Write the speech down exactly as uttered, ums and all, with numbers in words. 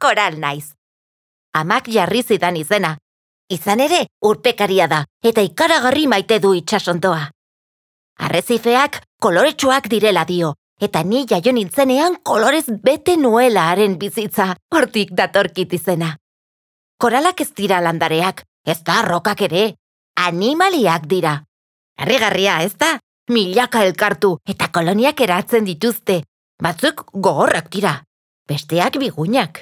koral naiz. Amak jarri zidan izena. Izan ere, urpekaria da, eta ikaragarri maite du itsasondoa. Arrezifeak koloretsuak direla dio, eta ni jaio nintzenean kolorez bete nuela haren bizitza, hortik datorkit izena. Koralak ez dira landareak, ez da rokak ere, animaliak dira. Harrigarria, ez da? Milaka elkartu eta koloniak eratzen dituzte. Batzuk gogorrak dira, besteak bigunak.